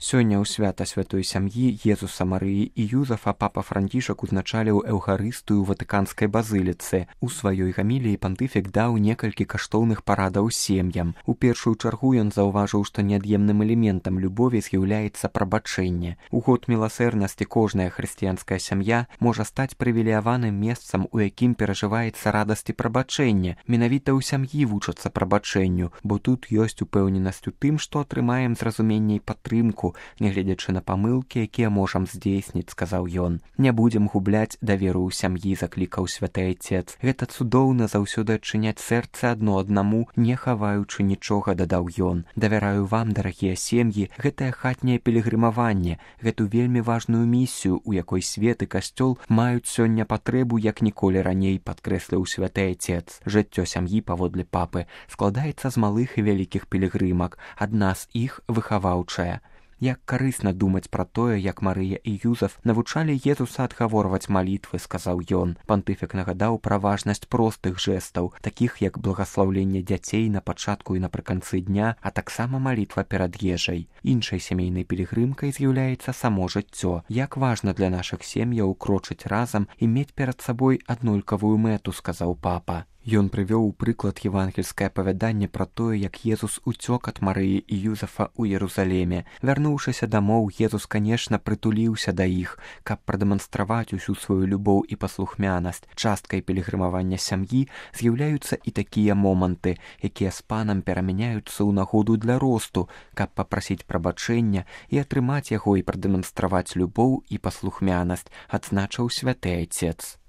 Сёння ў свята святой сям'і Езуса, Марыі і Юзафа папа Францішак узначаліў эўхарыстыю ў ватыканскай базыліцы. У сваёй гаміліі пантыфік даў некалькі каштоўных парадаў сем'ям. У першую чаргу ён заўважыў, што неад'емным элементам любові з'яўляецца прабачэнне. У год міласэрнасці кожная хрысціянская сям'я можа стаць прывілеяваным месцам, у якім перажываецца радасць і прабачэнне. Менавіта ў сям'і вучацца прабачэнню, бо тут ёсць упэўненасць у тым, што атрымаем зразуменне і падтрымку, нягледзячы на памылкі, якія можам здзейсніць, сказаў ён. Не будзем губляць даверу ў сям'і, заклікаў святы айцец. Гэта цудоўна заўсёды адчыняць сэрца адно аднаму, не хаваючы нічога, дадаў ён. Давяраю вам, дарагія сем'і, гэтае хатняе пілігрымаванне, гэту вельмі важную місію, у якой свет і касцёл маюць сёння патрэбу як ніколі раней, падкрэсліў святы айцец. Жыццё сям'і, паводле папы, складаецца з малых і вялікіх пілігрымак, адна з іх выхаваўчая. Як карысна думаць пра тое, як Марыя і Юзаф навучалі Езуса адгаворваць малітвы, сказаў ён. Пантыфік нагадаў пра важнасць простых жэстаў, такіх як благаслаўленне дзяцей на пачатку і напрыканцы дня, а таксама малітва перад ежай. Іншай сямейнай пілігрымкай з'яўляецца само жыццё. Як важна для нашых сем'яў крочыць разам і мець перад сабой аднолькавую мэту, сказаў папа. Ён прывёў у прыклад евангельскае апавяданне пра тое, як Езус уцёк ад Марыі і Юзафа ў Ерусалеме. Вярнуўшыся дамоў, Езус, канешне, прытуліўся да іх, каб прадэманстраваць усю сваю любоў і паслухмянасць. Часткай пілігрымавання сям'і з'яўляюцца і такія моманты, якія з панам перамяняюцца ў нагоду для росту, каб папрасіць прабачэння і атрымаць яго і прадэманстраваць любоў і паслухмянасць, адзначыў святы айцец.